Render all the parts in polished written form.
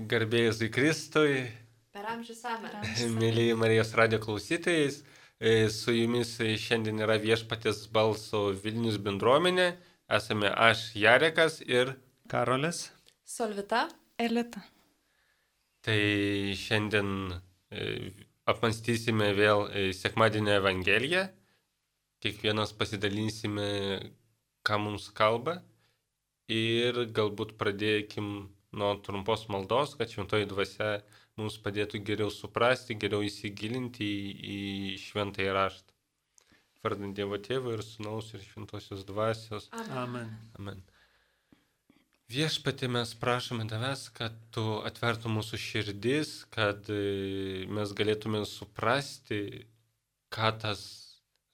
Garbėjus į Kristui, Per amžius amen. mėlyji Marijos radijo klausytojais, su jumis šiandien yra Viešpaties balso Vilnius bendruomenė. Esame aš, Jarekas ir Karolis. Solvita. Elita. Tai šiandien apmąstysime vėl sekmadienio Evangeliją. Kiekvienas pasidalinsime, ką mums kalba. Ir galbūt pradėkim nuo trumpos maldos, kad šventoji dvasia mums padėtų geriau suprasti, geriau įsigilinti į šventąjį raštą. Vardant Dievo Tėvo ir Sūnaus ir šventosios dvasios. Amen. Amen. Viešpatie, mes prašome tavęs, kad tu atvertų mūsų širdis, kad mes galėtume suprasti, ką tas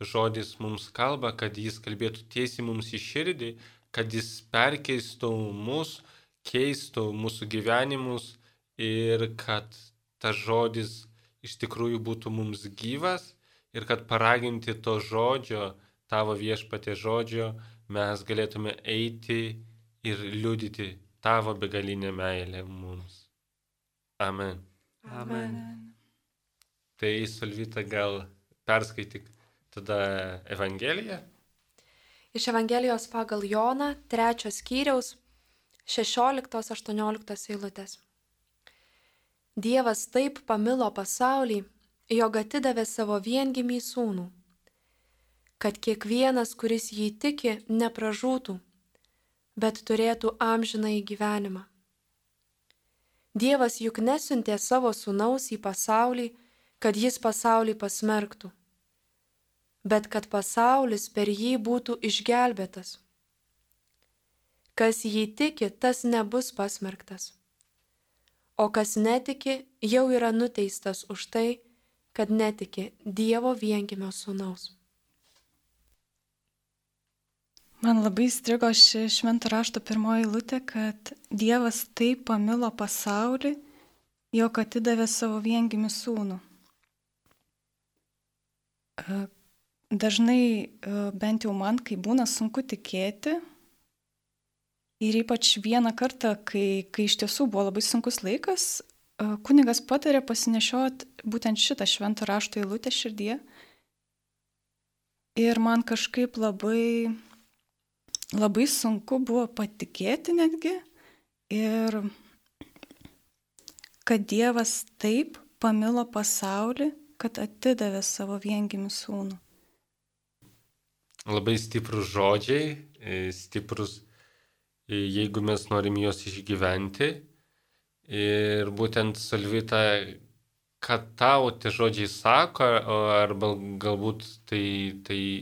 žodis mums kalba, kad jis kalbėtų tiesiai mums į širdį, kad jis perkeistų mus, keistų mūsų gyvenimus ir kad tas žodis iš tikrųjų būtų mums gyvas ir kad paraginti to žodžio, tavo Viešpatie žodžio, mes galėtume eiti ir liudyti tavo begalinę meilę mums. Amen. Amen. Tai, Solvita, gal perskaityk tada Evangeliją? Iš Evangelijos pagal Joną, 3 skyriaus, 16-18 eilutės. Dievas taip pamilo pasaulį, jog atidavė savo viengimį sūnų, kad kiekvienas, kuris jį tiki, nepražūtų, bet turėtų amžinąjį gyvenimą. Dievas juk nesiuntė savo sūnaus į pasaulį, kad jis pasaulį pasmerktų, bet kad pasaulis per jį būtų išgelbėtas. Kas jį tiki, tas nebus pasmerktas, o kas netiki, jau yra nuteistas už tai, kad netiki Dievo viengimio sūnaus. Man labai įstrigo ši švento rašto pirmoji eilutė, kad Dievas taip pamilo pasaulį, jog atidavė savo viengimį sūnų. Dažnai, bent jau man, kai būna sunku tikėti, ir ypač vieną kartą, kai iš tiesų buvo labai sunkus laikas, kunigas patarė pasinešioti būtent šitą švento rašto eilutę širdyje. Ir man kažkaip labai sunku buvo patikėti netgi, ir kad Dievas taip pamilo pasaulį, kad atidavė savo viengimį sūnų. Labai stiprus žodžiai, stiprus, jeigu mes norim juos išgyventi. Ir būtent, Solvita, kad tau tie žodžiai sako, arba galbūt tai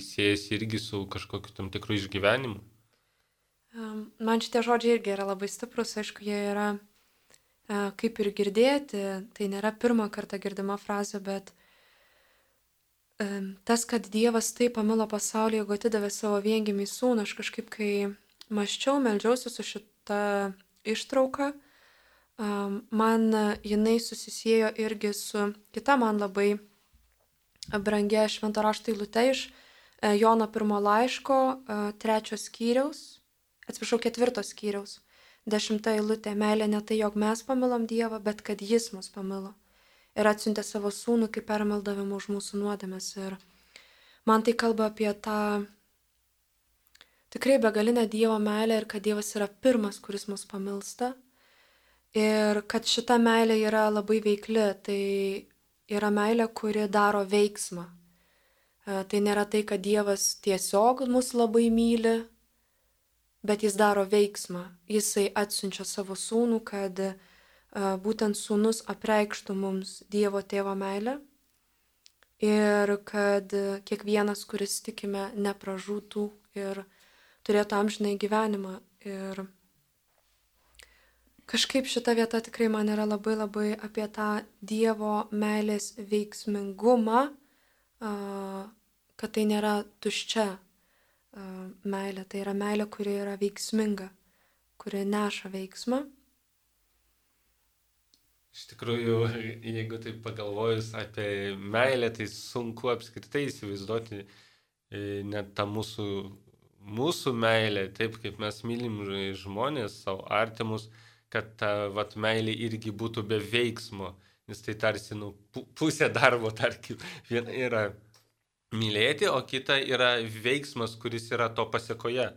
siejasi irgi su kažkokiu tam tikru išgyvenimu? Man šitie žodžiai irgi yra labai stiprus, aišku, jie yra kaip ir girdėti, tai nėra pirmą kartą girdima frazė, bet tas, kad Dievas taip pamilo pasaulį, jog atidavė savo viengimį sūnų, aš kažkaip, kai mąsčiau, meldžiausi su šita ištrauka, man jinai susisiejo irgi su kita man labai brangia švento rašto eilute iš Jono 1 laiško 4 skyriaus, 10 eilutė. Meilė ne tai, jog mes pamilom Dievą, bet kad jis mus pamilo ir atsiuntė savo sūnų kaip permaldavimą už mūsų nuodėmes. Ir man tai kalba apie tą tikrai begalinę Dievo meilę ir kad Dievas yra pirmas, kuris mus pamilsta. Ir kad šita meilė yra labai veikli, tai yra meilė, kuri daro veiksmą. Tai nėra tai, kad Dievas tiesiog mus labai myli, bet jis daro veiksmą. Jisai atsiunčia savo sūnų, kad būtent sūnus apreikštų mums Dievo tėvo meilę ir kad kiekvienas, kuris tikime, nepražūtų ir turėtų amžinąjį gyvenimą. Ir kažkaip šita vieta tikrai man yra labai labai apie tą Dievo meilės veiksmingumą, kad tai nėra tuščia meilė, tai yra meilė, kuri yra veiksminga, kuri neša veiksmą. Iš tikrųjų, jeigu taip pagalvojus apie meilę, tai sunku apskritai įsivaizduoti net tą mūsų meilę, taip kaip mes mylim žmonės, savo artimus, kad ta vat, meilė irgi būtų be veiksmo, nes tai tarsi pusė darbo, tarkim, viena yra mylėti, o kita yra veiksmas, kuris yra to pasiekoje.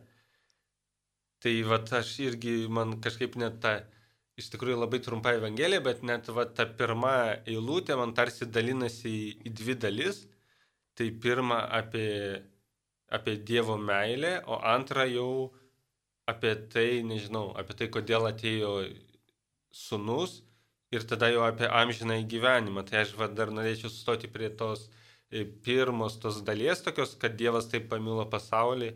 Tai vat, aš irgi, man kažkaip net ta, iš tikrųjų labai trumpa evangelija, bet net vat, ta pirma eilutė man tarsi dalinasi į dvi dalis. Tai pirma apie Dievo meilę, o antra jau apie tai, nežinau, apie tai, kodėl atėjo sūnus ir tada jau apie amžiną gyvenimą. Tai aš dar norėčiau sustoti prie tos pirmos tos dalies tokios, kad Dievas taip pamilo pasaulį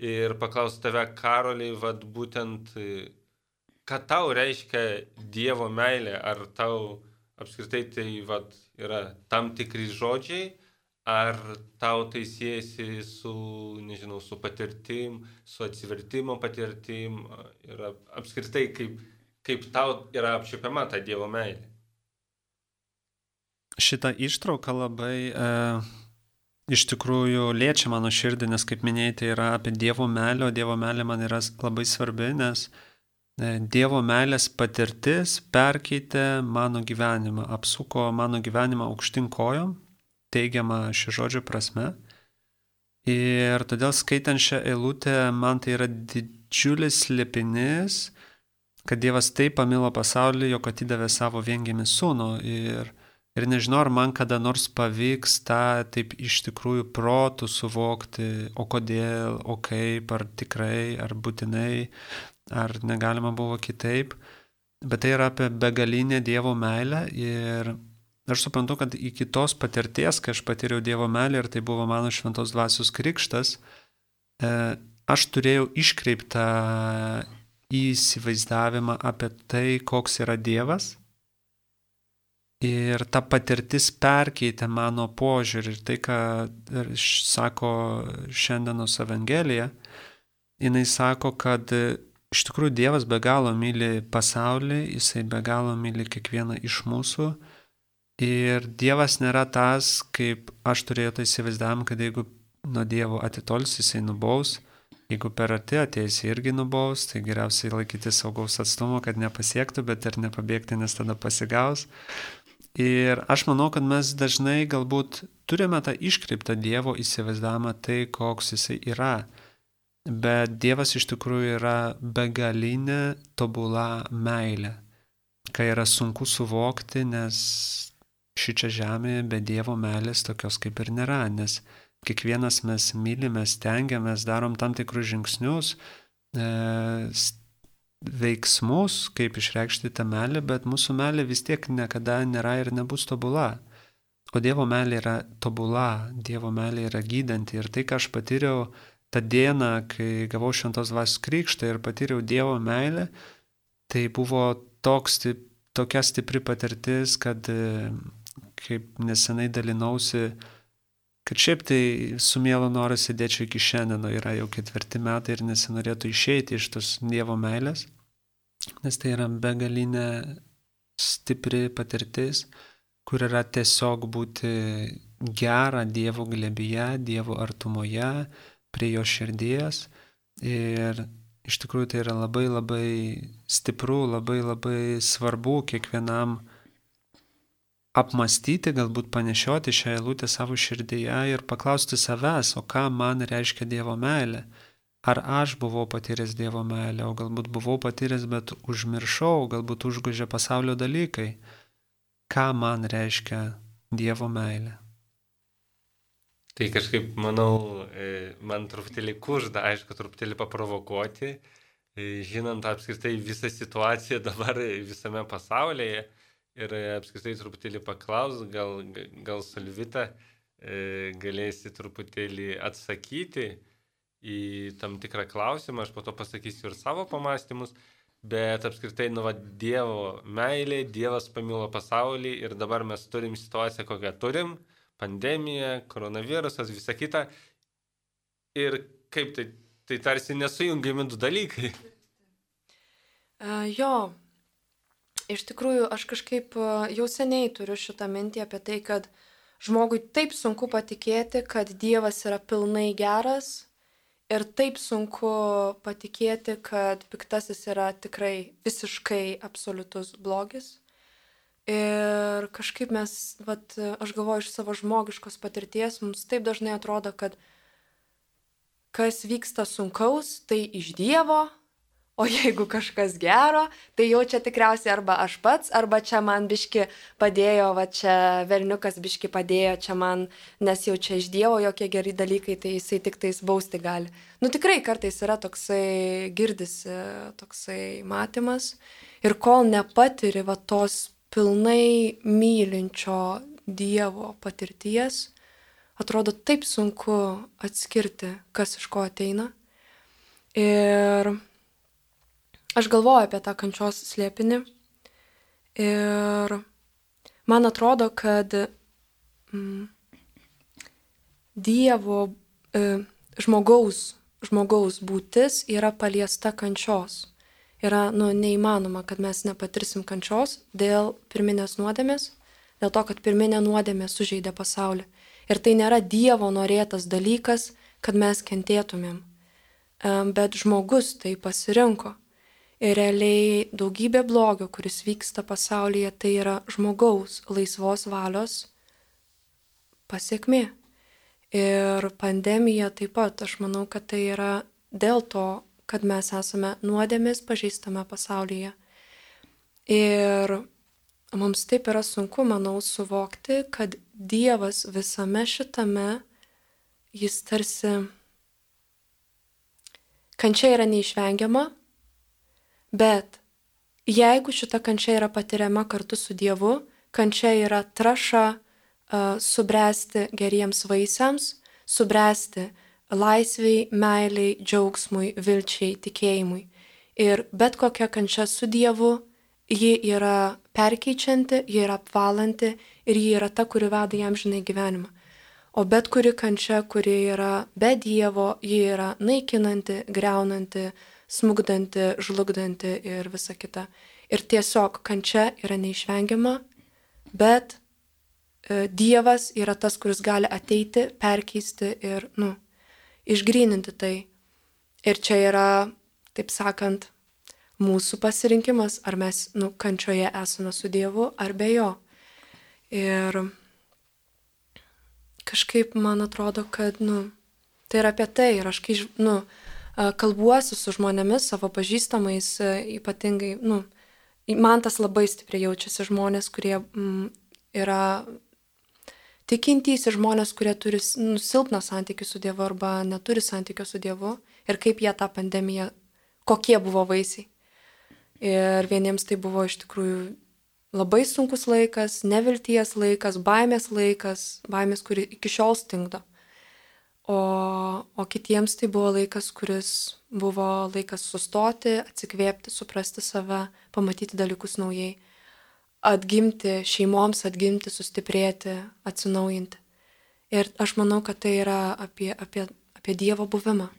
ir paklausti tave, Karoliai, vat būtent, ką tau reiškia Dievo meilė, ar tau apskritai tai vat yra tam tikri žodžiai, ar tau tai siejasi su, nežinau, su patirtim, su atsivertimo patirtim, ir apskritai kaip tau yra apčiuopiama ta Dievo meilė. Šitą ištrauką labai iš tikrųjų liečia mano širdį, nes kaip minėjai, tai yra apie Dievo meilę, o Dievo meilė man yra labai svarbi, nes Dievo meilės patirtis perkeitė mano gyvenimą, apsuko mano gyvenimą aukštyn kojom, teigiama šio žodžio prasme. Ir todėl skaitant šią eilutę, man tai yra didžiulis slėpinys, kad Dievas taip pamilo pasaulį, jog atidavė savo viengimį sūnų. Ir nežinau, ar man kada nors pavyks tą taip iš tikrųjų protų suvokti, o kodėl, o kaip, ar tikrai, ar būtinai, ar negalima buvo kitaip. Bet tai yra apie begalinę Dievo meilę ir aš suprantu, kad iki tos patirties, kai aš patyriau Dievo meilę ir tai buvo mano šventos dvasios krikštas, aš turėjau iškreiptą įsivaizdavimą apie tai, koks yra Dievas. Ir ta patirtis perkeitė mano požiūrį ir tai, ką sako šiandienos Evangelija, jinai sako, kad iš tikrųjų Dievas be galo myli pasaulį, jisai be galo myli kiekvieną iš mūsų. Ir Dievas nėra tas, kaip aš turėjau tai įsivaizdavimą, kad jeigu nuo Dievo atitols, jisai nubaus, jeigu per arti ateis irgi nubaus, tai geriausiai laikyti saugaus atstumo, kad nepasiektų, bet ir nepabėgti, nes tada pasigaus. Ir aš manau, kad mes dažnai galbūt turime tą iškreiptą Dievo įsivaizdavimą tai, koks jisai yra. Bet Dievas iš tikrųjų yra begalinė tobula meilė, kai yra sunku suvokti, nes šičia žemėje be Dievo meilės tokios kaip ir nėra, nes kiekvienas mes mylime, stengiamės, darom tam tikrus žingsnius, veiksmus, kaip išreikšti tą meilę, bet mūsų meilė vis tiek niekada nėra ir nebus tobula. O Dievo meilė yra tobula, Dievo meilė yra gydanti. Ir tai, ką aš patyriau tą dieną, kai gavau šventos dvasios krikštą ir patyriau Dievo meilę, tai buvo tokia stipri patirtis, kad kaip nesenai dalinausi, kad šiaip tai su mielu noru sėdėčiau iki šiandien, yra jau 4 metai ir nesinorėtų išeiti iš tos Dievo meilės, nes tai yra begalinė stipri patirtis, kur yra tiesiog būti gera Dievo glėbyje, Dievo artumoje, prie jo širdies. Ir iš tikrųjų tai yra labai labai stipru, labai labai svarbu kiekvienam apmastyti, galbūt panešioti šią eilutę savo širdyje ir paklausti savęs, o ką man reiškia Dievo meilė. Ar aš buvau patyręs Dievo meilę, o galbūt buvau patyręs, bet užmiršau, galbūt užgožė pasaulio dalykai. Ką man reiškia Dievo meilė? Tai kažkaip, manau, man truputėlį kužda, aišku, truputėlį paprovokuoti, žinant apskritai visą situaciją dabar visame pasaulyje. Ir apskritai truputėlį paklaus, gal Solvita galėsi truputėlį atsakyti į tam tikrą klausimą, aš po to pasakysiu ir savo pamastymus, bet apskritai, Dievo meilė, Dievas pamilo pasaulį ir dabar mes turim situaciją, kokią turim, pandemija, koronavirusas, visa kita. Ir kaip tai tarsi nesujungiami du dalykai. Jo. Iš tikrųjų, aš kažkaip jau seniai turiu šitą mintį apie tai, kad žmogui taip sunku patikėti, kad Dievas yra pilnai geras Ir taip sunku patikėti, kad piktasis yra tikrai visiškai absoliutus blogis. Ir kažkaip mes, aš galvoju iš savo žmogiškos patirties, mums taip dažnai atrodo, kad kas vyksta sunkaus, tai iš Dievo, o jeigu kažkas gero, tai jau čia tikriausiai arba aš pats, arba čia man biški padėjo, čia velniukas biški padėjo, čia man, nes jau čia iš Dievo jokie geri dalykai, tai jisai tik tais bausti gali. Tikrai kartais yra toksai, girdisi toksai matymas ir kol nepatiri tos pilnai mylinčio Dievo patirties, atrodo taip sunku atskirti, kas iš ko ateina. Ir aš galvoju apie tą kančios slėpinį ir man atrodo, kad Dievo, žmogaus būtis yra paliesta kančios. Yra neįmanoma, kad mes nepatirsim kančios dėl pirminės nuodėmės, dėl to, kad pirminė nuodėmė sužeidė pasaulį. Ir tai nėra Dievo norėtas dalykas, kad mes kentėtumėm. Bet žmogus tai pasirinko. Ir realiai daugybė blogio, kuris vyksta pasaulyje, tai yra žmogaus laisvos valios pasiekmė. Ir pandemija taip pat, aš manau, kad tai yra dėl to, kad mes esame nuodėmės pažeistame pasaulyje. Ir mums taip yra sunku, manau, suvokti, kad Dievas visame šitame, jis tarsi, kančia yra neišvengiama, bet jeigu šita kančia yra patiriama kartu su Dievu, kančia yra trąša subręsti geriems vaisiams, subręsti laisviai, meiliai, džiaugsmui, vilčiai, tikėjimui. Ir bet kokia kančia su Dievu, ji yra perkeičianti, ji yra apvalanti ir ji yra ta, kuri veda į amžinąjį gyvenimą. O bet kuri kančia, kuri yra be Dievo, ji yra naikinanti, griaunanti, smugdanti, žlugdanti ir visa kita. Ir tiesiog kančia yra neišvengiama, bet Dievas yra tas, kuris gali ateiti, perkeisti ir, išgryninti tai. Ir čia yra, taip sakant, mūsų pasirinkimas, ar mes, kančioje esame su Dievu, ar be jo. Ir kažkaip man atrodo, kad, tai yra apie tai. Ir aš, kai, kalbuosi su žmonėmis, savo pažįstamais, ypatingai, man tas labai stipriai jaučiasi žmonės, kurie yra tikintys ir žmonės, kurie turi silpną santykį su Dievu arba neturi santykio su Dievu ir kaip jie tą pandemiją, kokie buvo vaisiai. Ir vieniems tai buvo iš tikrųjų labai sunkus laikas, nevilties laikas, baimės, kuri iki šiol stingdo. O kitiems tai buvo laikas, kuris buvo laikas sustoti, atsikvėpti, suprasti save, pamatyti dalykus naujai, atgimti šeimoms, atgimti, sustiprėti, atsinaujinti. Ir aš manau, kad tai yra apie Dievo buvimą.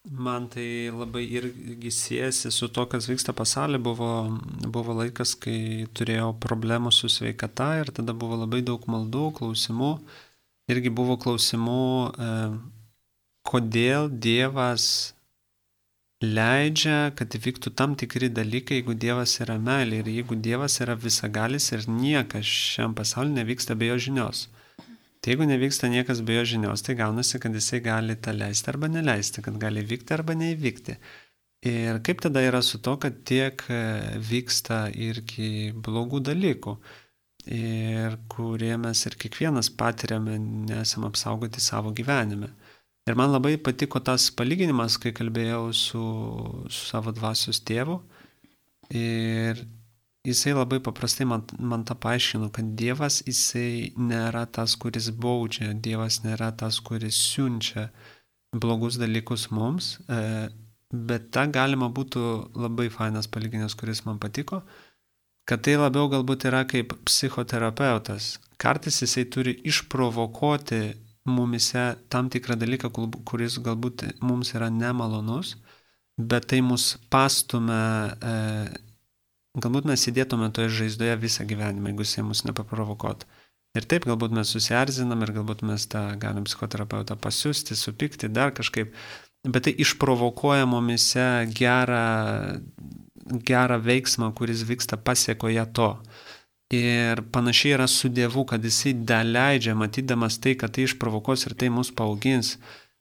Man tai labai irgi siejasi su to, kas vyksta pasaulyje. Buvo laikas, kai turėjau problemų su sveikata ir tada buvo labai daug maldų, klausimų. Irgi buvo klausimų, kodėl Dievas leidžia, kad įvyktų tam tikri dalykai, jeigu Dievas yra meilė ir jeigu Dievas yra visagalis ir niekas šiam pasaulyje nevyksta be jo žinios. Tai jeigu nevyksta niekas be jo žinios, tai gaunasi, kad jisai gali tą leisti arba neleisti, kad gali vykti arba neįvykti. Ir kaip tada yra su to, kad tiek vyksta irgi blogų dalykų, ir kurie mes ir kiekvienas patiriame, nesam apsaugoti savo gyvenime. Ir man labai patiko tas palyginimas, kai kalbėjau su savo dvasios tėvu. Ir jisai labai paprastai man tą paaiškino, kad Dievas jisai nėra tas, kuris baudžia, Dievas nėra tas, kuris siunčia blogus dalykus mums, bet tą galima būtų labai fainas palyginimas, kuris man patiko, kad tai labiau galbūt yra kaip psichoterapeutas. Kartais jisai turi išprovokuoti mumise tam tikrą dalyką, kuris galbūt mums yra nemalonus, bet tai mus pastumia. Galbūt mes sėdėtume toje žaizdoje visą gyvenimą, jeigu jisai mus nepaprovokuotų. Ir taip, galbūt mes susierzinam ir galbūt mes tą galim psichoterapeutą pasiūsti, supykti, dar kažkaip. Bet tai išprovokuoja mumise gerą veiksmą, kuris vyksta pasiekoje to. Ir panašiai yra su Dievu, kad jisai daleidžia, matydamas tai, kad tai išprovokos ir tai mus paaugins.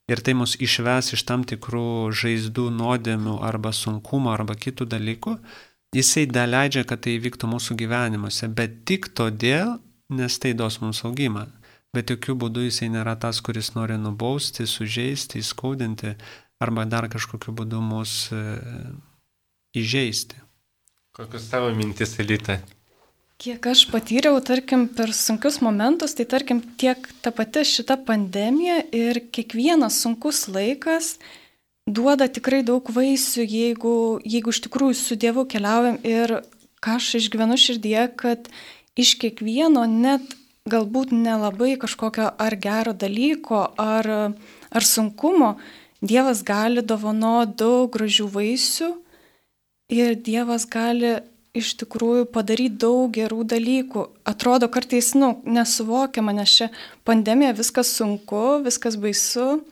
Ir tai mus išves iš tam tikrų žaizdų, nuodėmių arba sunkumo arba kitų dalykų. Jisai daleidžia, kad tai vyktų mūsų gyvenimuose, bet tik todėl, nes tai duos mums augimą. Bet jokių būdų jisai nėra tas, kuris nori nubausti, sužeisti, įskaudinti arba dar kažkokiu būdu mus įžeisti. Kokios tavo mintis, Elita? Kiek aš patyriau, tarkim, per sunkius momentus, tai tarkim tiek ta pati šita pandemija ir kiekvienas sunkus laikas duoda tikrai daug vaisių, jeigu iš tikrųjų su Dievu keliaujam ir ką aš išgyvenu širdyje, kad iš kiekvieno net galbūt nelabai kažkokio ar gero dalyko, ar sunkumo, Dievas gali dovanoti daug gražių vaisių ir Dievas gali iš tikrųjų padaryti daug gerų dalykų. Atrodo kartais, nesuvokiama, nes čia pandemija, viskas sunku, viskas baisu,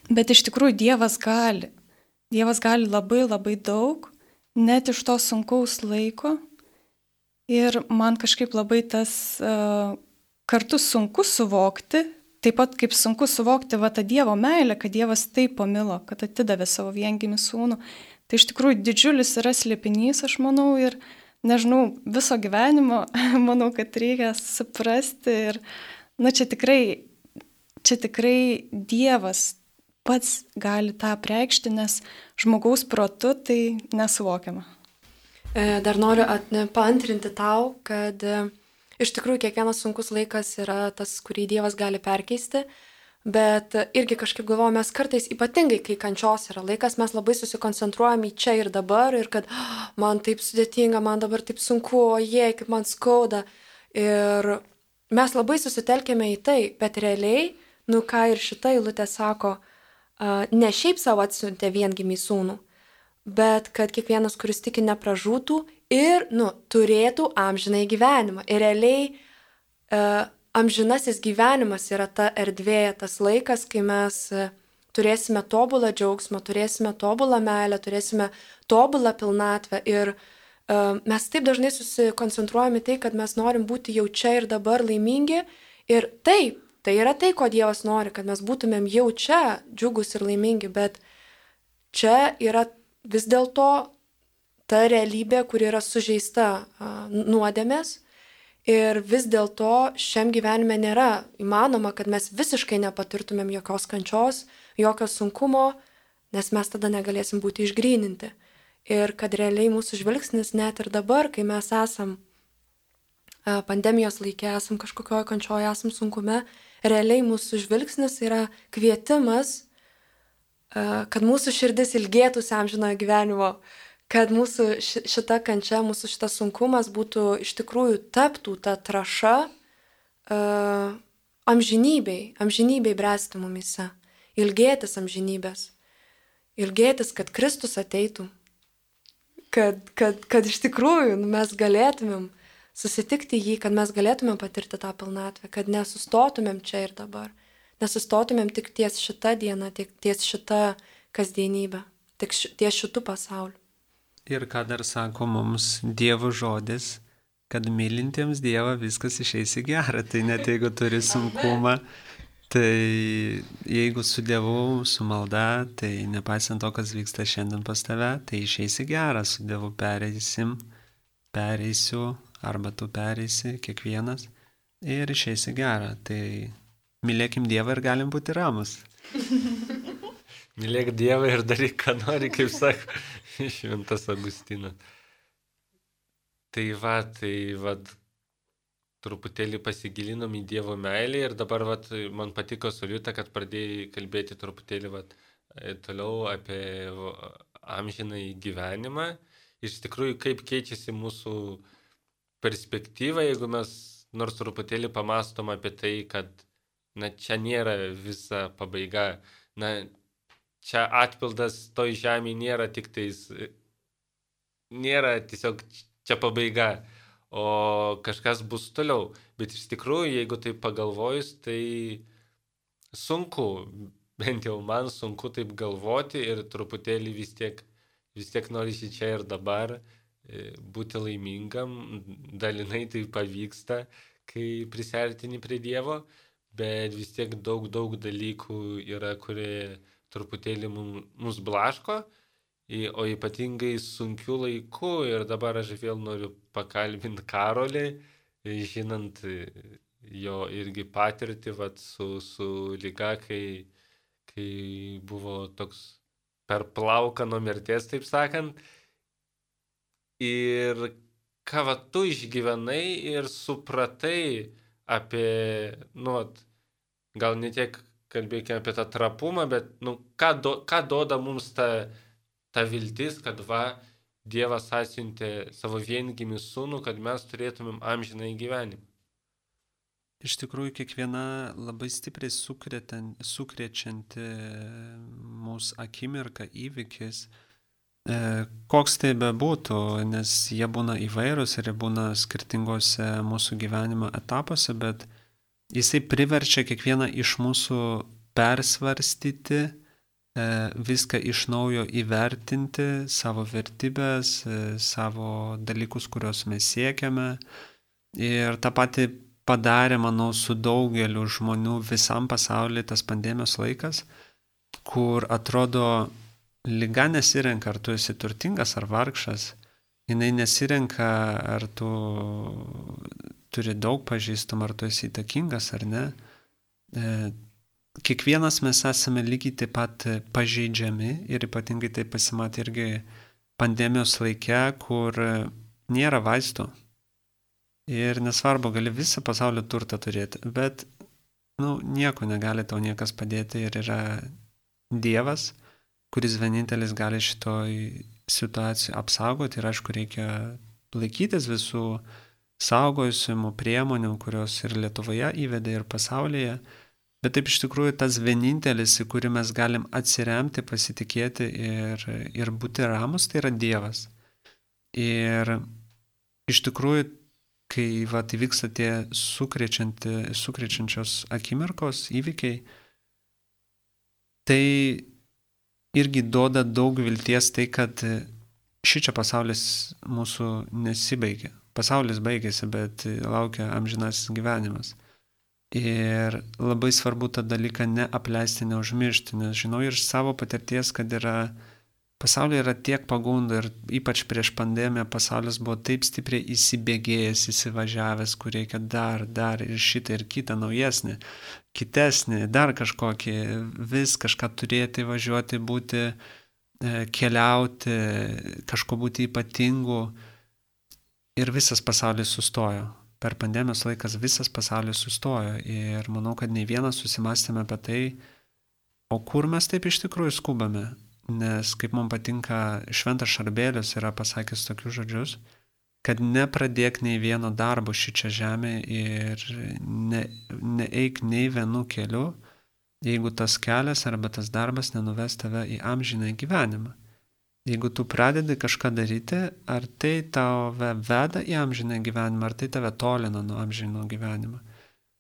bet iš tikrųjų Dievas gali. Dievas gali labai labai daug, net iš to sunkaus laiko. Ir man kažkaip labai tas kartu sunku suvokti, taip pat kaip sunku suvokti tą Dievo meilę, kad Dievas taip pamilo, kad atidavė savo viengimį sūnų. Tai iš tikrųjų didžiulis yra slėpinys, aš manau, ir nežinau, viso gyvenimo, manau, kad reikia suprasti. Ir čia tikrai Dievas pats gali tą apreikšti, nes žmogaus protu tai nesuvokiama. Dar noriu paantrinti tau, kad iš tikrųjų kiekvienas sunkus laikas yra tas, kurį Dievas gali perkeisti. Bet irgi kažkaip galvoju, mes kartais ypatingai, kai kančios yra laikas, mes labai susikoncentruojam į čia ir dabar ir kad man taip sudėtinga, man dabar taip sunku, oje, kaip man skauda. Ir mes labai susitelkėme į tai, bet realiai, ką ir šita eilutė sako, ne šiaip savo atsiuntė viengimį sūnų, bet kad kiekvienas, kuris tiki, nepražūtų ir, turėtų amžinąjį gyvenimą. Ir realiai amžinasis gyvenimas yra ta erdvė, tas laikas, kai mes turėsime tobulą džiaugsmą, turėsime tobulą meilę, turėsime tobulą pilnatvę. Ir mes taip dažnai susikoncentruojame tai, kad mes norim būti jau čia ir dabar laimingi. Ir taip, tai yra tai, ko Dievas nori, kad mes būtumėm jau čia džiugus ir laimingi. Bet čia yra vis dėlto ta realybė, kuri yra sužeista nuodėmės. Ir vis dėlto šiam gyvenime nėra įmanoma, kad mes visiškai nepatirtumėm jokios kančios, jokio sunkumo, nes mes tada negalėsim būti išgryninti. Ir kad realiai mūsų žvilgsnis net ir dabar, kai mes esam pandemijos laikė, esam kažkokioje kančioje, esam sunkume, realiai mūsų žvilgsnis yra kvietimas, kad mūsų širdis ilgėtųsi amžinojo gyvenimo, kad mūsų šita kančia, mūsų šitas sunkumas būtų iš tikrųjų taptų ta trąša amžinybei bręsti mumyse, ilgėtis amžinybės, ilgėtis, kad Kristus ateitų, kad iš tikrųjų mes galėtumėm susitikti jį, kad mes galėtumėm patirti tą pilnatvę, kad nesustotumėm čia ir dabar, nesustotumėm tik ties šitą dieną, ties šitą kasdienybę, tik ties šitų pasaulių. Ir ką dar sako mums Dievo žodis, kad mylintiems Dievą viskas išeis į gerą. Tai net jeigu turi sunkumą, tai jeigu su Dievu, su malda, tai nepaisant to, kas vyksta šiandien pas tave, tai išeis į gerą. Su Dievu pereisiu, arba tu pereisi, kiekvienas, ir išeis į gerą. Tai mylėkim Dievą ir galim būti ramus. Mylėk Dievą ir daryk, ką nori, kaip sako Šventas Augustinas. Tai truputėlį pasigilinom į Dievo meilę ir dabar man patiko Soliuta, kad pradėjai kalbėti truputėlį toliau apie amžinąjį gyvenimą. Iš tikrųjų, kaip keičiasi mūsų perspektyva, jeigu mes nors truputėlį pamastom apie tai, kad čia nėra visa pabaiga. Čia atpildas toj žemėje nėra tiesiog čia pabaiga, o kažkas bus toliau. Bet iš tikrųjų, jeigu tai pagalvojus, tai sunku, bent jau man sunku taip galvoti ir truputėlį vis tiek norisi čia ir dabar būti laimingam, dalinai tai pavyksta, kai prisiartini prie Dievo, bet vis tiek daug dalykų yra, kurie truputėlį mus blaško, o ypatingai sunkių laikų. Ir dabar aš vėl noriu pakalbinti Karolį, žinant jo irgi patirtį su liga, kai buvo toks per plauką nuo mirties, taip sakant. Ir ką tu išgyvenai ir supratai apie, gal ne tiek kalbėkime apie tą trapumą, bet ką duoda mums ta viltis, kad Dievas atsiuntė savo viengimį sūnų, kad mes turėtumėm amžinąjį gyvenimą. Iš tikrųjų, kiekviena labai stipriai sukrečianti mūsų akimirka, įvykis, koks tai bebūtų, nes jie būna įvairūs ir jie būna skirtingose mūsų gyvenimo etapuose, bet jisai priverčia kiekvieną iš mūsų persvarstyti, viską iš naujo įvertinti, savo vertybės, savo dalykus, kuriuos mes siekiame. Ir tą patį padarė, manau, su daugeliu žmonių visam pasaulyje tas pandemijos laikas, kur atrodo, liga nesirenka, ar tu esi turtingas ar vargšas, jinai nesirenka, ar tu turi daug pažįstamų, ar tu esi įtakingas ar ne. Kiekvienas mes esame lygiai taip pat pažeidžiami ir ypatingai tai pasimatė irgi pandemijos laike, kur nėra vaistų. Ir nesvarbu, gali visą pasaulio turtą turėti, bet nieko negali tau niekas padėti ir yra Dievas, kuris vienintelis gali šitoj situacijai apsaugoti ir aišku reikia laikytis visų saugojusimų priemonių, kurios ir Lietuvoje įvedė ir pasaulyje, bet taip iš tikrųjų tas vienintelis, į kurį mes galim atsiremti, pasitikėti ir būti ramus, tai yra Dievas. Ir iš tikrųjų, kai įvyksta tie sukrečiančios akimirkos, įvykiai, tai irgi duoda daug vilties tai, kad šičia pasaulis mūsų nesibaigia. Pasaulis baigėsi, bet laukia amžinasis gyvenimas. Ir labai svarbu tą dalyką neapleisti, neužmiršti, nes žinau ir savo patirties, kad pasaulyje yra tiek pagundų ir ypač prieš pandemiją pasaulis buvo taip stipriai įsibėgėjęs, įsivažiavęs, kur reikia dar ir šitą ir kitą naujesnį, kitesnį, dar kažkokį, vis kažką turėti, važiuoti, būti, keliauti, kažko būti ypatingu ir visas pasaulis sustojo. Per pandemijos laikas visas pasaulis sustojo ir manau, kad nei vienas susimastėme apie tai, o kur mes taip iš tikrųjų skubame. Nes kaip man patinka, Šventas Šarbėlis yra pasakęs tokius žodžius, kad nepradėk nei vieno darbo šičia žemė ir neeik nei vienu keliu, jeigu tas kelias arba tas darbas nenuves tave į amžiną gyvenimą. Jeigu tu pradedi kažką daryti, ar tai tave veda į amžiną gyvenimą, ar tai tave tolina nuo amžino gyvenimo.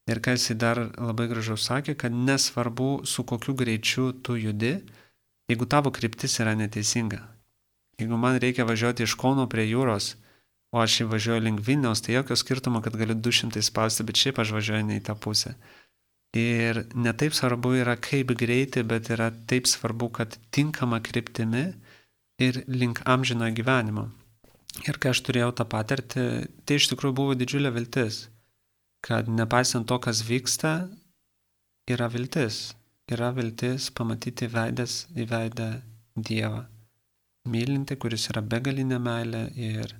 Ir ką jisai dar labai gražiau sakė, kad nesvarbu su kokiu greičiu tu judi, jeigu tavo kryptis yra neteisinga. Jeigu man reikia važiuoti iš Kauno prie jūros, o aš važiuoju link Vilniaus, tai jokio skirtumo, kad galiu 200 spausti, bet šiaip aš važiuoju ne į tą pusę. Ir ne taip svarbu yra kaip greitai, bet yra taip svarbu, kad tinkama kryptimi ir link amžino gyvenimo. Ir kai aš turėjau tą patirtį, tai iš tikrųjų buvo didžiulė viltis, kad nepaisant to, kas vyksta, yra viltis. Yra viltis pamatyti veidas į veidą Dievą, mylinti, kuris yra begalinė meilė ir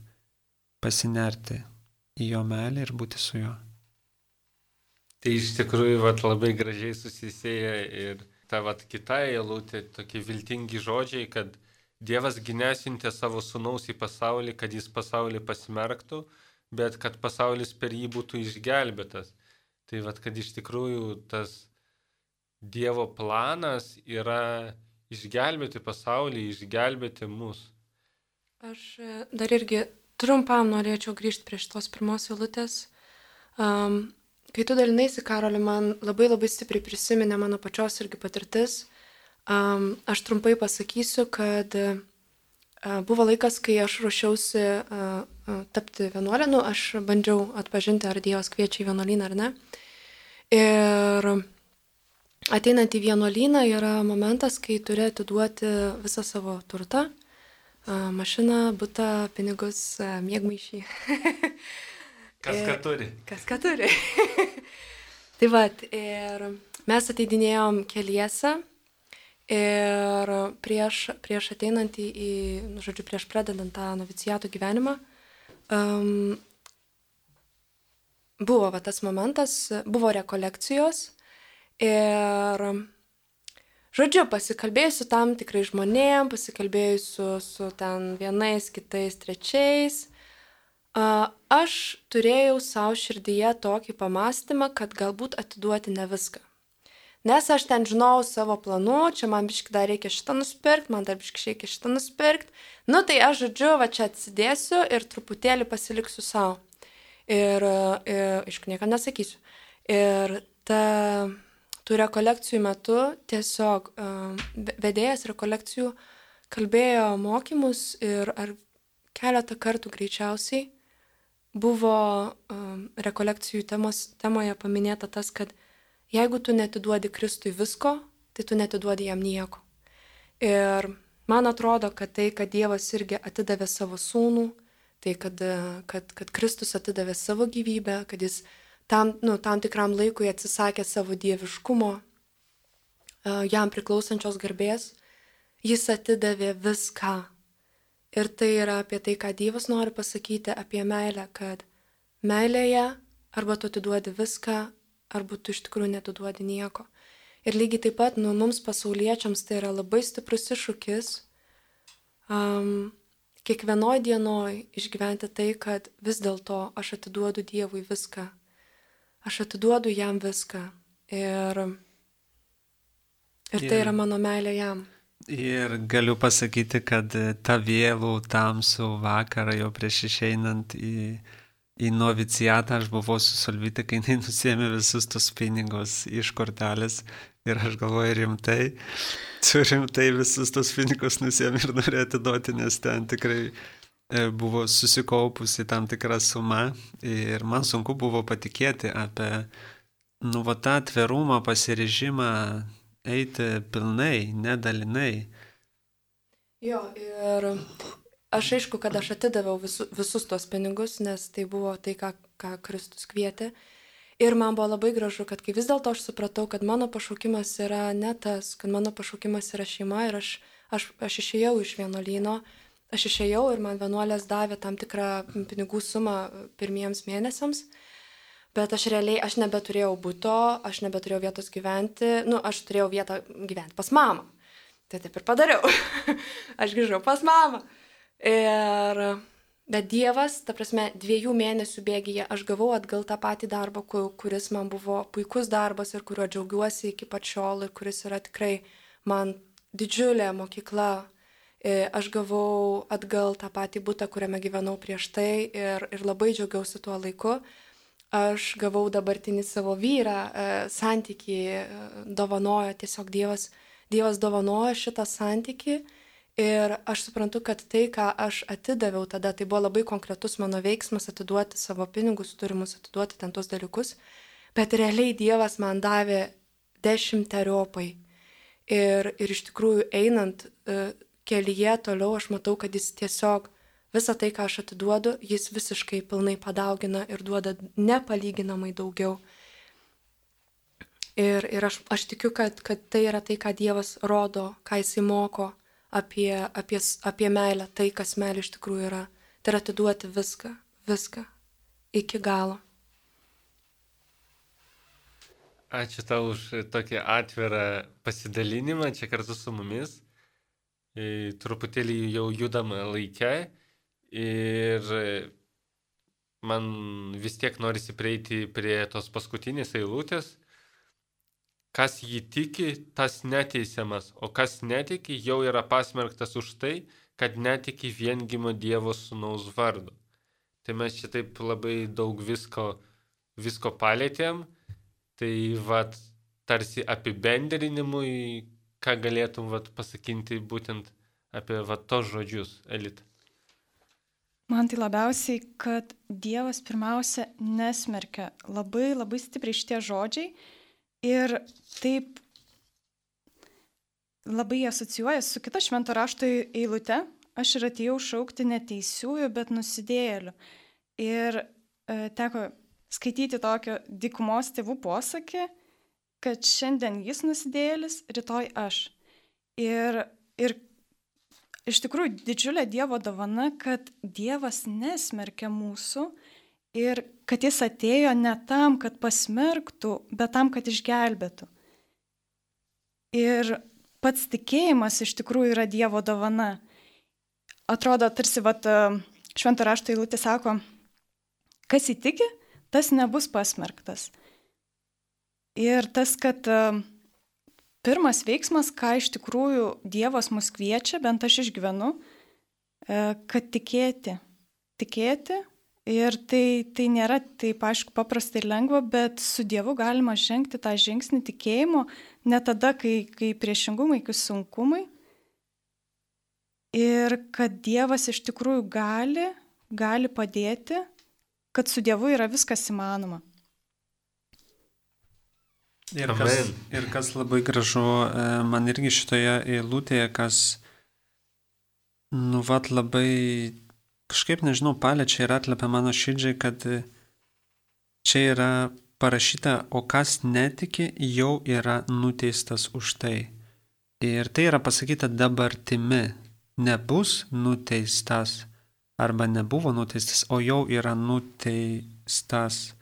pasinerti į jo meilę ir būti su juo. Tai iš tikrųjų labai gražiai susisėja ir ta kita eilutė, tokie viltingi žodžiai, kad Dievas nesiuntė savo sūnaus į pasaulį, kad jis pasaulį pasmerktų, bet kad pasaulis per jį būtų išgelbėtas. Tai kad iš tikrųjų tas Dievo planas yra išgelbėti pasaulį, išgelbėti mus. Aš dar irgi trumpam norėčiau grįžti prie šitos pirmos eilutės. Kai tu dalinaisi, Karoli, man labai labai stipriai prisiminė mano pačios irgi patirtis. Aš trumpai pasakysiu, kad buvo laikas, kai aš ruošiausi tapti vienuolinu, aš bandžiau atpažinti, ar Dievas kviečia į vienuolyną ar ne. Ir ateinant į vienuolyną yra momentas, kai turi atiduoti visą savo turtą, mašiną, butą, pinigus, miegmaišį. Kas ką turi. Kas ką turi. Tai vat, ir mes ateidinėjom keliese ir prieš ateinant prieš pradedant tą noviciato gyvenimą, buvo va, tas momentas, buvo rekolekcijos ir, žodžiu, pasikalbėjusiu tam tikrai žmonėm, pasikalbėjusiu su ten vienais, kitais, trečiais, aš turėjau savo širdyje tokį pamastymą, kad galbūt atiduoti ne viską. Nes aš ten žinau savo planų, čia man biškai dar reikia šitą nusipirkti, man dar biškai reikia šitą nusipirkti. Nu tai aš, žodžiu, va čia atsidėsiu ir truputėlį pasiliksiu savo. Ir aišku, niekam nesakysiu. Ir tų rekolekcijų metu tiesiog vedėjas rekolekcijų kalbėjo mokymus ir ar keletą kartų greičiausiai buvo rekolekcijų temoje paminėta tas, kad jeigu tu netiduodi Kristui visko, tai tu netiduodi jam nieko. Ir man atrodo, kad tai, kad Dievas irgi atidavė savo sūnų, tai kad Kristus atidavė savo gyvybę, kad jis tam tikram laikui atsisakė savo dieviškumo, jam priklausančios garbės, jis atidavė viską. Ir tai yra apie tai, ką Dievas nori pasakyti apie meilę, kad meilėje arba tu atiduodi viską, arba tu iš tikrųjų netiduodi nieko. Ir lygiai taip pat, mums pasauliečiams tai yra labai stiprus iššūkis kiekvienoj dienoj išgyventi tai, kad vis dėlto aš atiduodu Dievui viską. Aš atiduodu jam viską. Ir tai yra mano meilė jam. Ir galiu pasakyti, kad tą vėlų tamsų vakarą jau prieš išeinant į novicijatą aš buvau su Solvyte, kai jinai nusėmė visus tos pinigus iš kortelės ir aš galvoju rimtai visus tos pinigus nusėmė ir norėjo atiduoti, nes ten tikrai buvo susikaupusi tam tikra suma ir man sunku buvo patikėti apie tą atvirumą, pasiryžimą eiti pilnai, nedalinai. Jo, ir aš aišku, kad aš atidaviau visus tos pinigus, nes tai buvo tai, ką Kristus kvietė. Ir man buvo labai gražu, kad kai vis dėlto aš supratau, kad mano pašaukimas yra ne tas, kad mano pašaukimas yra šeima ir aš išėjau iš vienuolyno, aš išėjau ir man vienuolės davė tam tikrą pinigų sumą pirmiems mėnesiams. Bet aš nebeturėjau buto, aš nebeturėjau vietos gyventi, aš turėjau vietą gyventi pas mamą. Tai taip ir padariau. Aš grįžau pas mamą. Bet Dievas, ta prasme, 2 mėnesių bėgyje aš gavau atgal tą patį darbą, kuris man buvo puikus darbas ir kuriuo džiaugiuosi iki pat šiol ir kuris yra tikrai man didžiulė mokykla. Aš gavau atgal tą patį butą, kuriame gyvenau prieš tai ir labai džiaugiausi tuo laiku. Aš gavau dabartinį savo vyrą, santykį dovanojo, tiesiog Dievas dovanojo šitą santykį ir aš suprantu, kad tai, ką aš atidaviau tada, tai buvo labai konkretus mano veiksmas atiduoti savo pinigus, turimus atiduoti ten tos dalykus, bet realiai Dievas man davė 10-eriopai ir iš tikrųjų einant kelyje toliau aš matau, kad jis tiesiog visą tai, ką aš atiduodu, jis visiškai pilnai padaugina ir duoda nepalyginamai daugiau. Ir aš tikiu, kad tai yra tai, ką Dievas rodo, ką jisai moko apie meilę, tai, kas meilė iš tikrųjų yra. Tai yra atiduoti viską, iki galo. Ačiū tau už tokį atvirą pasidalinimą čia kartu su mumis. Truputėlį jau judama laike. Ir man vis tiek norisi prieiti prie tos paskutinės eilutės. Kas jį tiki, tas neteisiamas, o kas netiki, jau yra pasmerktas už tai, kad netiki viengimio Dievo sūnaus vardu. Tai mes čia taip labai daug visko palėtėm. Tai vat tarsi apibendrinimui, ką galėtum vat pasakinti būtent apie vat tos žodžius, Elita. Man tai labiausiai, kad Dievas pirmiausia nesmerkia. Labai, labai stipriai šitie žodžiai ir taip labai asocijuoja su kita švento rašto eilute. Aš ir atėjau šaukti neteisiųjų, bet nusidėjėlių. Ir teko skaityti tokio dykumos tėvų posakį, kad šiandien jis nusidėjėlis, rytoj aš. Ir iš tikrųjų didžiulė Dievo dovana, kad Dievas nesmerkia mūsų ir kad jis atėjo ne tam, kad pasmerktų, bet tam, kad išgelbėtų. Ir pats tikėjimas iš tikrųjų yra Dievo dovana. Atrodo, tarsi švento rašto eilutė sako, kas įtiki, tas nebus pasmerktas. Ir tas, kad pirmas veiksmas, ką iš tikrųjų Dievas mus kviečia, bent aš išgyvenu, kad tikėti. Tikėti ir tai nėra taip aišku paprasta ir lengva, bet su Dievu galima žengti tą žingsnį tikėjimo, ne tada, kai priešingumai, kai sunkumai. Ir kad Dievas iš tikrųjų gali padėti, kad su Dievu yra viskas įmanoma. Ir kas labai gražu, man irgi šitoje eilutėje, kas, labai kažkaip, nežinau, paliečia ir atlepia mano širdžiai, kad čia yra parašyta, o kas netiki, jau yra nuteistas už tai. Ir tai yra pasakyta dabartimi. Nebus nuteistas arba nebuvo nuteistas, o jau yra nuteistas.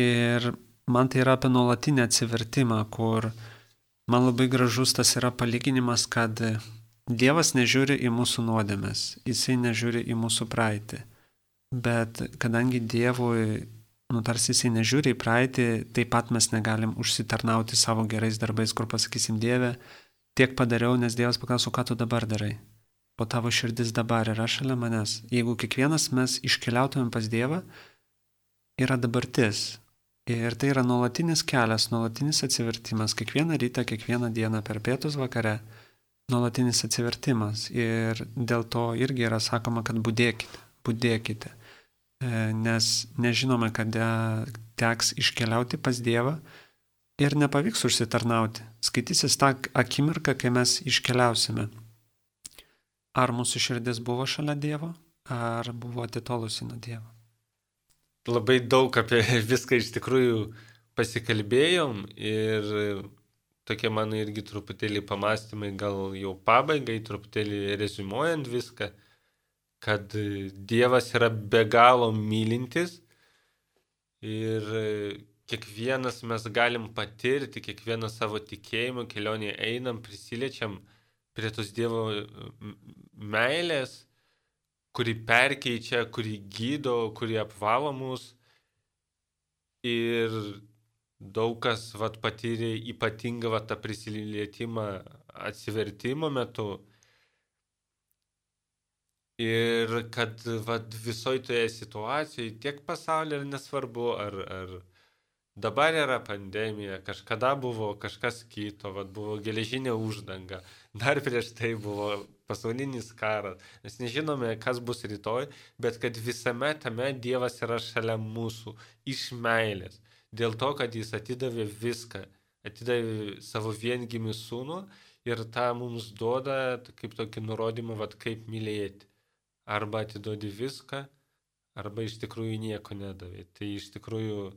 Ir man tai yra apie nuolatinį atsivertimą, kur man labai gražus tas yra palyginimas, kad Dievas nežiūri į mūsų nuodėmes, jisai nežiūri į mūsų praeitį. Bet kadangi Dievui, tarsi jisai nežiūri į praeitį, taip pat mes negalim užsitarnauti savo gerais darbais, kur pasakysim, Dieve, tiek padariau, nes Dievas paklauso, ką tu dabar darai. O tavo širdis dabar yra šalia manęs. Jeigu kiekvienas mes iškeliautumėm pas Dievą, yra dabartis. Ir tai yra nuolatinis kelias, nuolatinis atsivertimas. Kiekvieną rytą, kiekvieną dieną per pietus vakare, nuolatinis atsivertimas. Ir dėl to irgi yra sakoma, kad budėkite. Nes nežinome, kada teks iškeliauti pas Dievą ir nepavyks užsitarnauti. Skaitysis tą akimirką, kai mes iškeliausime. Ar mūsų širdis buvo šalia Dievo, ar buvo atitolusi nuo Dievo? Labai daug apie viską iš tikrųjų pasikalbėjom ir tokie mano irgi truputėlį pamastymai, gal jau pabaigai, truputėlį reziumuojant viską, kad Dievas yra be galo mylintis ir kiekvienas mes galim patirti, kiekvieną savo tikėjimo kelionėje einam, prisiliečiam prie tos Dievo meilės, kuri perkeičia, kuri gydo, kuri apvalo mus. Ir daug kas patyrė ypatingą tą prisilietimą atsivertimo metu. Ir kad visoje toje situacijoje, tiek pasaulyje nesvarbu, ar dabar yra pandemija, kažkada buvo kažkas kito, buvo geležinė uždanga, dar prieš tai buvo pasaulinis karas. Mes nežinome, kas bus rytoj, bet kad visame tame Dievas yra šalia mūsų, iš meilės. Dėl to, kad jis atidavė viską, atidavė savo viengimį sūnų ir tą mums duoda kaip tokį nurodymą, kaip mylėti. Arba atiduodi viską, arba iš tikrųjų nieko nedavė. Tai iš tikrųjų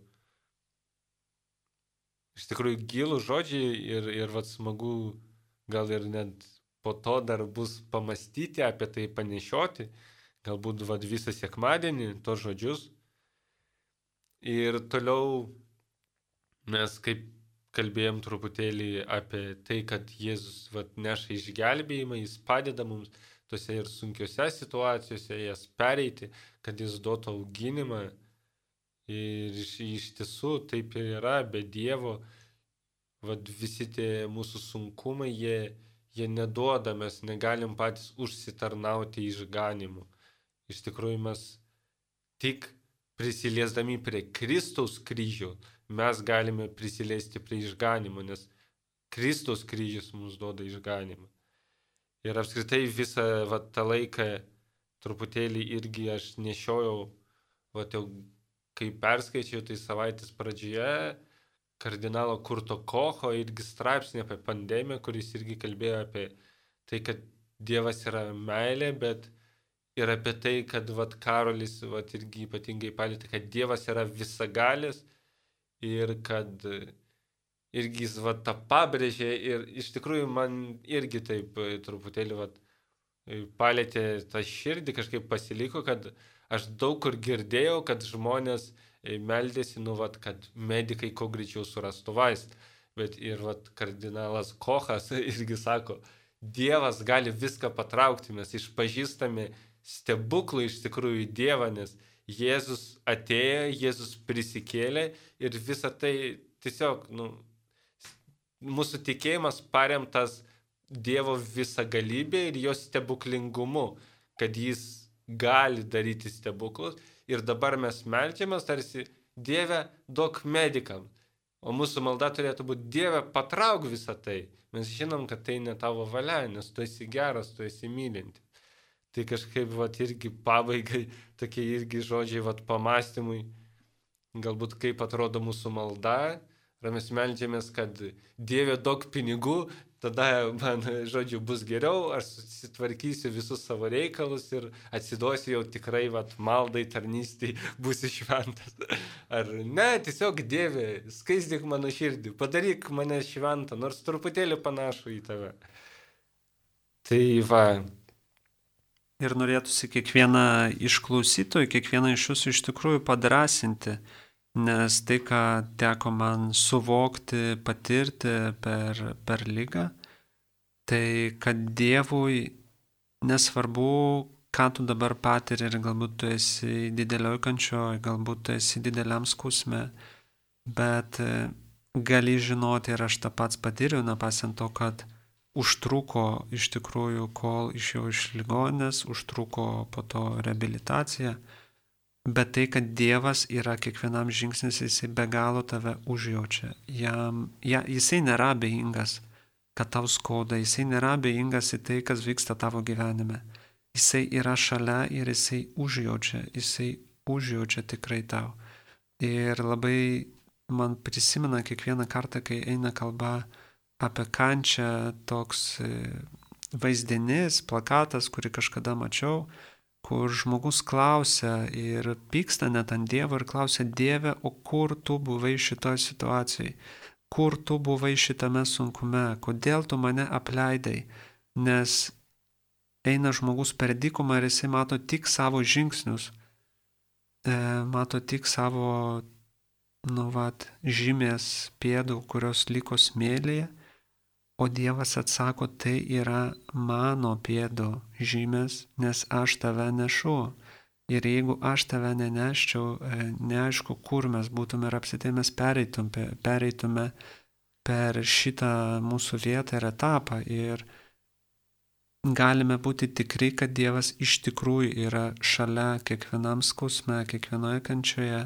gilų žodžiai ir smagu gal ir net po to dar bus pamastyti apie tai, panešioti, galbūt visą sekmadienį tos žodžius. Ir toliau mes kaip kalbėjom truputėlį apie tai, kad Jėzus neša išgelbėjimą, jis padeda mums tose ir sunkiose situacijose jas pereiti, kad jis duotų auginimą. Ir iš tiesų taip ir yra, be Dievo visi tie mūsų sunkumai, jie neduoda, mes negalim patys užsitarnauti išganimu. Iš tikrųjų mes tik prisiliesdami prie Kristaus kryžių mes galime prisiliesti prie išganimo, nes Kristaus kryžius mums duoda išganimą. Ir apskritai visą tą laiką truputėlį irgi aš nešiojau, jau kai perskaičiau, tai savaitės pradžioje kardinalo Kurto Kocho irgi straipsnį apie pandemiją, kuris irgi kalbėjo apie tai, kad Dievas yra meilė, bet ir apie tai, kad Karolis irgi ypatingai palėtė, kad Dievas yra visagalis ir kad irgi jis tą pabrėžė ir iš tikrųjų man irgi taip truputėlį palėtė tą širdį, kažkaip pasiliko, kad aš daug kur girdėjau, kad žmonės meldėsi, kad medikai kuo greičiau surastų vaistą. Bet ir kardinalas Kochas irgi sako, Dievas gali viską patraukti, mes išpažįstame stebuklą iš tikrųjų Dievą, nes Jėzus atėjo, Jėzus prisikėlė ir visa tai tiesiog, mūsų tikėjimas paremtas Dievo visagalybė ir jo stebuklingumu, kad jis gali daryti stebuklus ir dabar mes meldžiamės tarsi Dieve duok medikam, o mūsų malda turėtų būti Dieve patrauk visą tai. Mes žinom, kad tai ne tavo valia, nes tu esi geras, tu esi mylinti. Tai kažkaip irgi pabaigai, tokie irgi žodžiai pamastymui, galbūt kaip atrodo mūsų malda, ar mes meldžiamės, kad Dieve duok pinigų, tada man, bus geriau, aš susitvarkysiu visus savo reikalus ir atsiduosiu jau tikrai maldai, tarnystei, būsiu šventas. Ar ne, tiesiog Dieve, skaisdyk mano širdį, padaryk mane šventą, nors truputėlį panašų į tave. Tai Ir norėtųsi kiekvieną iš klausytojų, kiekvieną iš jūsų iš tikrųjų padrasinti, nes tai, ką teko man suvokti, patirti per ligą, tai kad Dievui nesvarbu, ką tu dabar patiri ir galbūt tu esi didelioj kančioj, galbūt tu esi dideliam skausme, bet gali žinoti ir aš tą pats patyriau, nepasiant to, kad užtruko iš tikrųjų, kol išėjau iš ligoninės, užtruko po to reabilitacija, bet tai, kad Dievas yra kiekvienam žingsnis, jisai be galo tave užjaučia. Jisai nėra abejingas, kad tau skauda, jisai nėra abejingas į tai, kas vyksta tavo gyvenime. Jisai yra šalia ir jisai užjaučia tikrai tau. Ir labai man prisimena kiekvieną kartą, kai eina kalba apie kančią, toks vaizdinys, plakatas, kurį kažkada mačiau, kur žmogus klausia ir pyksta net ant Dievo ir klausia, Dieve, o kur tu buvai šitoj situacijai? Kur tu buvai šitame sunkume? Kodėl tu mane apleidai? Nes eina žmogus per dykumą ir jisai mato tik savo žingsnius, mato tik savo, žymės pėdų, kurios liko smėlyje, o Dievas atsako, tai yra mano pėdų žymės, nes aš tave nešu. Ir jeigu aš tave neneščiau, neaišku, kur mes būtume ir apsitai mes pereitume per šitą mūsų vietą ir etapą. Ir galime būti tikri, kad Dievas iš tikrųjų yra šalia kiekvienam skausme, kiekvienoje kančioje,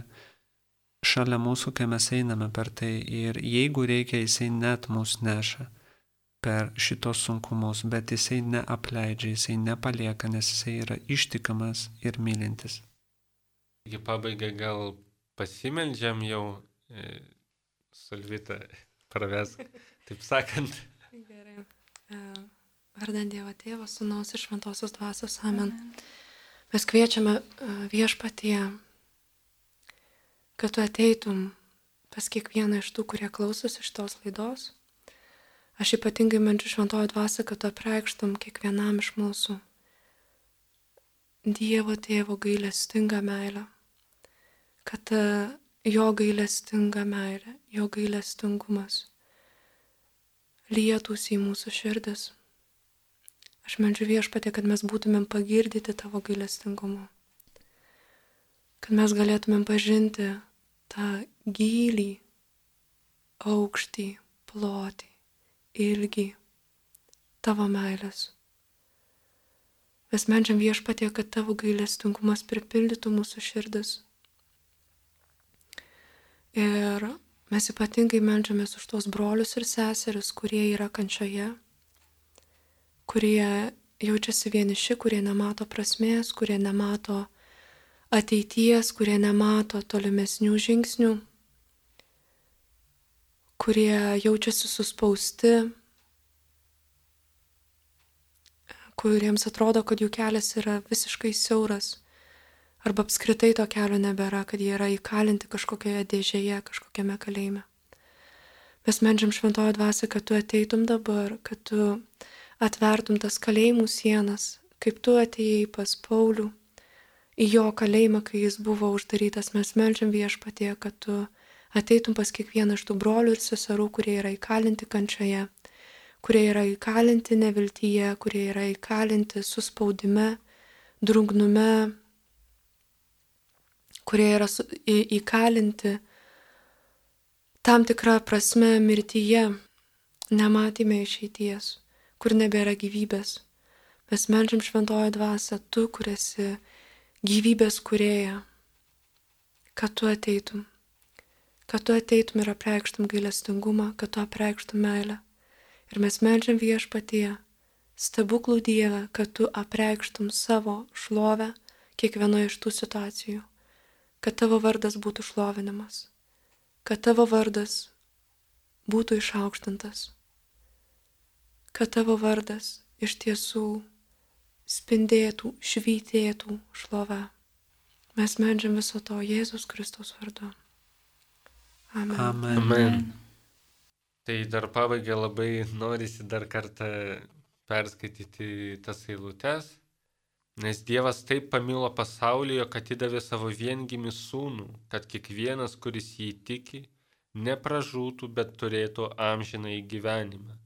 šalia mūsų, kai mes einame per tai. Ir jeigu reikia, jisai net mus neša per šitos sunkumus, bet jisai neapleidžia, jisai nepalieka, nes jisai yra ištikimas ir mylintis. Iki pabaigai gal pasimeldžiam jau, Solvita, pravesk, taip sakant. Gerai. Vardant Dievo Tėvo, Sūnaus ir Šventosios Dvasios. Amen. Mes kviečiame Viešpatie, kad tu ateitum pas kiekvieną iš tų, kurie klausosi šitos laidos. Aš ypatingai meldžiu Šventojo Dvasią, kad tu apreikštum kiekvienam iš mūsų Dievo Tėvo gailestingą meilę, kad jo gailestinga meilė, jo gailestingumas lietųsi į mūsų širdis. Aš meldžiu Viešpatie, kad mes būtumėm pagirdyti tavo gailestingumu, kad mes galėtumėm pažinti tą gylį, aukštį, plotį, ilgį tavo meilės. Mes meldžiam Viešpatie, kad tavo gailestingumas pripildytų mūsų širdis. Ir mes ypatingai meldžiamės už tos brolius ir seseris, kurie yra kančioje, kurie jaučiasi vieniši, kurie nemato prasmės, kurie nemato ateities, kurie nemato tolimesnių žingsnių, kurie jaučiasi suspausti, kuriems atrodo, kad jų kelias yra visiškai siauras, arba apskritai to kelio nebėra, kad jie yra įkalinti kažkokioje dėžėje, kažkokiame kalėjime. Mes meldžiam Šventojo Dvasia, kad tu ateitum dabar, kad tu atvertum tas kalėjimų sienas, kaip tu atėjai pas Paulių į jo kalėjimą, kai jis buvo uždarytas. Mes meldžiam Viešpatie, kad tu ateitum pas kiekvieną iš tų brolių ir seserų, kurie yra įkalinti kančioje, kurie yra įkalinti neviltyje, kurie yra įkalinti suspaudime, drungnume, kurie yra įkalinti tam tikrą prasme mirtyje, nematyme išeities, kur nebėra gyvybės. Mes meldžiam Šventojo Dvasia, tu, kur esi gyvybės kūrėja, kad tu ateitum ir apreikštum gailestingumą, kad tu apreikštum meilę. Ir mes meldžiam Viešpatie, stebuklų Dieve, kad tu apreikštum savo šlovę kiekvienoje iš tų situacijų, kad tavo vardas būtų šlovinimas, kad tavo vardas būtų išaukštintas, kad tavo vardas iš tiesų spindėtų, švytėtų šlovę. Mes meldžiam viso to Jėzus Kristaus vardu. Amen. Amen. Amen. Tai dar pabaigai labai norisi dar kartą perskaityti tas eilutes, nes Dievas taip pamilo pasaulį, jog atidavė savo viengimį sūnų, kad kiekvienas, kuris jį tiki, nepražūtų, bet turėtų amžinąjį gyvenimą.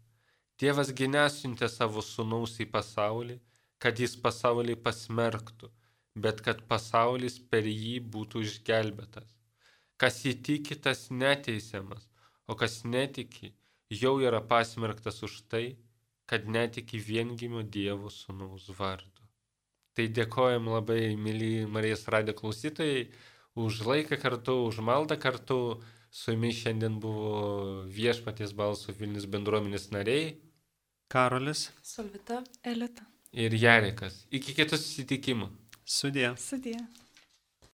Dievas gi nesiuntė savo sūnaus į pasaulį, kad jis pasaulį pasmerktų, bet kad pasaulis per jį būtų išgelbėtas. Kas jį tiki, tas neteisiamas, o kas netiki, jau yra pasmerktas už tai, kad netiki viengimio Dievo sūnaus vardu. Tai dėkojam labai, myli Marijos radijo klausytojai, už laiką kartu, už maldą kartu. Su jumis šiandien buvo Viešpaties balso Vilnius bendruomenės nariai Karolis. Solvita. Elita. ir Jarekas. Iki kitų susitikimų. Sudie. Sudie.